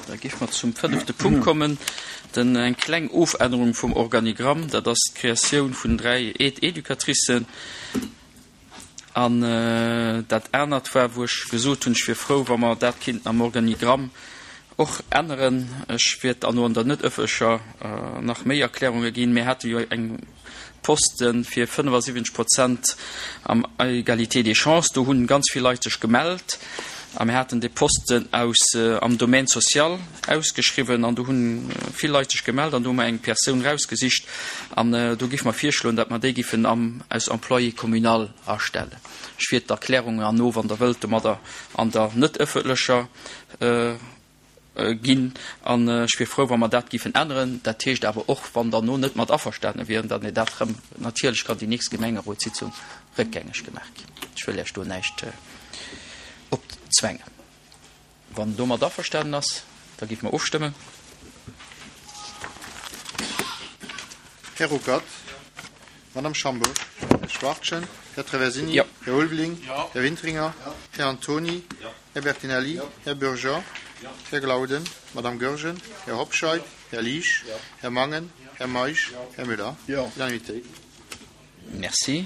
Da géife mer zum fënnefte Punkt kommen, den, eng kleng Ofännerung vum Organigramm, dat ass d'Kreatioun vun 3 Aide-éducatricen. An dat anert war, wou ech gesot hunn, ech wier frou, wa mer dat kéinten am Organigramm och änneren. Ech wäert dann no an der net ëffentlecher nach méi Erklärunge ginn. Mir hate jo eng Poste fir 75 Prozent am Égalité des chances. Do hunn ganz vill Leit sech gemellt a mir haten dee Posten aus am Domaine social ausgeschriwwen an do hunn vill Leit sech gemellt an do hu mer eng Persoun rausgesicht an do géife mer virschloen, datt mer déi géifen am aus Employé communal astellen. Ech wiert d'Erklärungen herno, wann Der wëllt, domadder an der net ëffentlecher ginn an ech wier frou, wa mer dat géifen änneren. Dat heescht awer och, wann Der no net mat averstane wieren, datt mir dat erëm, natierlech kann déi nächst Gemengerotssitzung réckgängeg gemaach ginn. Ech wëll Iech do näischt opzwängen. Wann domat averstanen ass, da géife mer ofstëmmen. Här Ruckert, Madame Schambourg, Här Schwachtgen, Här Traversini, Här Ulveling, Här Wintringer, Här Antony, Här Bertinelli, Här Bürger, Här Glauden, Madame Goergen, Här Hobscheit, Här Liesch, Här Mangen, Här Meisch, Här Müller. Unanimitéit. Merci.